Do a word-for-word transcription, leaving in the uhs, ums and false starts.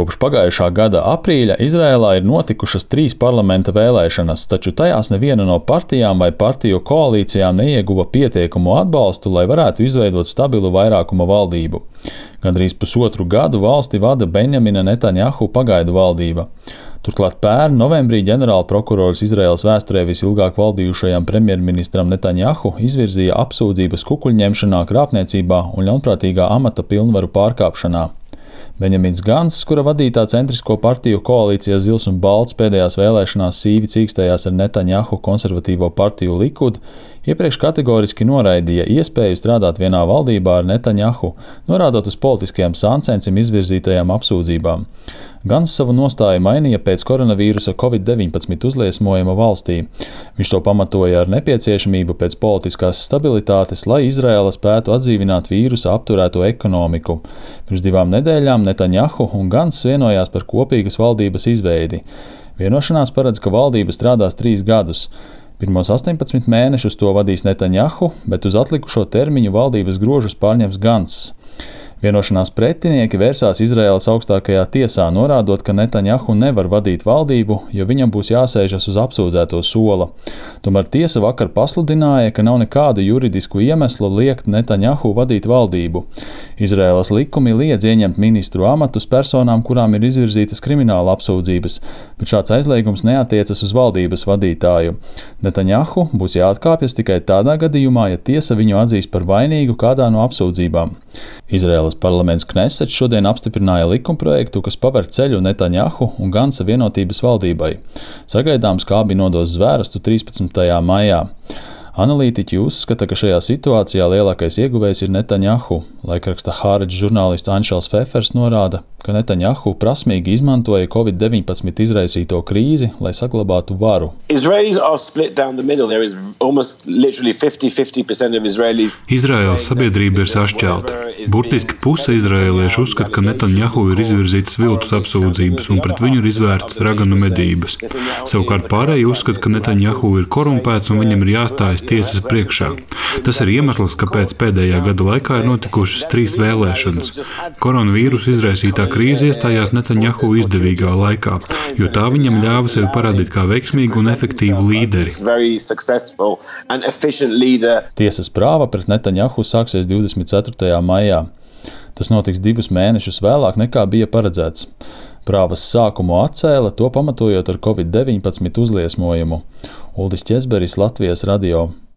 Kopš pagājušā gada aprīļa Izrēlā ir notikušas trīs parlamenta vēlēšanas, taču tajās neviena no partijām vai partiju koalīcijām neieguva pietiekumu atbalstu, lai varētu izveidot stabilu vairākuma valdību. Gandrīz pusotru gadu valsti vada Benjamina Netanjahu pagaidu valdība. Turklāt pērn novembrī ģenerālprokurors Izraēlas vēsturē visilgāk valdījušajam premjerministram Netanjahu izvirzīja apsūdzības kukuļņemšanā, krāpniecībā un ļaunprātīgā amata pilnvaru pārkāpšanā. Benjamins Gants, kura vadītā centrisko partiju koalīcijā Zils un Balts pēdējās vēlēšanās sīvi cīkstējās ar Netanjahu konservatīvo partiju Likud, iepriekš kategoriski noraidīja iespēju strādāt vienā valdībā ar Netanjahu, norādot uz politiskajām sāncensiem izvirzītajām apsūdzībām. Gans savu nostāju mainīja pēc koronavīrusa covid deviņpadsmit uzliesmojuma valstī. Viņš to pamatoja ar nepieciešamību pēc politiskās stabilitātes, lai Izraēla spētu atdzīvināt vīrusa apturēto ekonomiku. Pirms divām nedēļām Netanjahu un Gants vienojās par kopīgas valdības izveidi. Vienošanās paredz, ka valdība strādās trīs gadus. Pirmos astoņpadsmit mēnešus to vadīs Netanjahu, bet uz atlikušo termiņu valdības grožus pārņems Gants. Vienošanās pretinieki vērsās Izraēlas augstākajā tiesā, norādot, ka Netanjahu nevar vadīt valdību, jo viņam būs jāsēžas uz apsūdzēto sola. Tomēr tiesa vakar pasludināja, ka nav nekādu juridisku iemeslu liekt Netanjahu vadīt valdību. Izraēlas likumi liedz ieņemt ministru amatus personām, kurām ir izvirzītas krimināla apsūdzības, bet šāds aizliegums neatiecas uz valdības vadītāju. Netanjahu būs jāatkāpjas tikai tādā gadījumā, ja tiesa viņu atzīs par vainīgu kādā no apsūdzībām. Izraēlas parlaments Knesets šodien apstiprināja likumprojektu, kas paver ceļu Netanjahu un Gansa vienotības valdībai. Sagaidāms, kā abi nodos zvērestu trīspadsmitajā maijā. Analītiķi uzskata, ka šajā situācijā lielākais ieguvējs ir Netanjahu. Laikraksta Haaretz žurnālists Anšels Fefers norāda, ka Netanjahu prasmīgi izmantoja covid deviņpadsmit izraisīto krīzi, lai saglabātu varu. Izraēlas sabiedrība ir sašķelta. Burtiski puse izraēliešu uzskata, ka Netanjahu ir izvirzītas viltus apsūdzības un pret viņu ir izvērtas raganu medības. Savukārt pārējie uzskata, ka Netanjahu ir korumpēts un viņam ir jāstājas tiesas priekšā. Tas ir iemesls, kāpēc pēdējā gada laikā ir notikušas trīs vēlēšanas. Koronavīrusa izraisītā krīze iestājās Netanjahu izdevīgā laikā, jo tā viņam ļāva sevi parādīt kā veiksmīgu un efektīvu līderi. Tiesas prāva pret Netanjahu sāksies divdesmit ceturtajā maijā. Tas notiks divus mēnešus vēlāk nekā bija paredzēts. Prāvas sākumu atcēla, to pamatojot ar covid deviņpadsmit uzliesmojumu. Uldis Ķezberis, Latvijas radio.